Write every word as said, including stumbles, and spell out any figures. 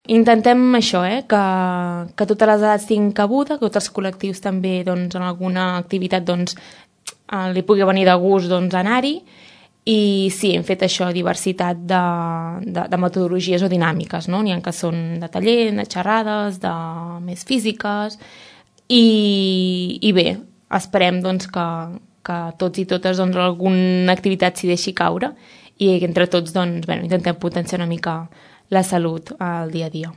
intentem això, eh? que, que totes les edats tinguin cabuda, que tots els col·lectius també doncs, en alguna activitat doncs, li pugui venir de gust doncs, anar-hi. I sí, hem fet això, diversitat de, de, de metodologies o dinàmiques, no? N'hi ha que són de taller, de xerrades, de més físiques, i, i bé, esperem doncs, que, que tots i totes doncs, alguna activitat s'hi deixi caure i entre tots doncs, bueno, intentem potenciar una mica la salut al dia a dia.